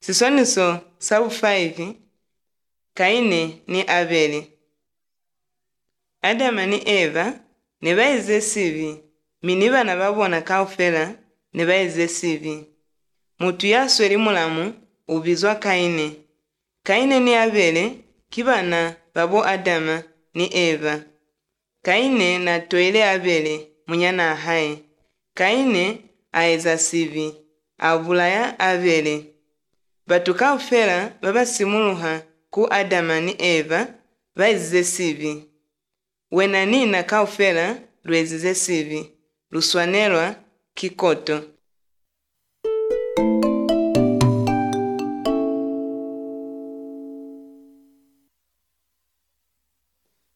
Sisoniso sabu 5 Kaini ni Abeli. Adama ni Eva ne baize sivi mini bana babona kaufela ne baize sivi. Mutu yasweli mulamu ubizwa Kaini. Kaini ni Abeli kibana babo Adama ni Eva. Kaini na toile Abeli munyana ahai. Kaini aeza sivi avulaya Abeli. Batu kaufela babasimuluha ku Adama ni Eva baize sivi. Wena nina kaufela lwezize sivi luswanelwa kikoto.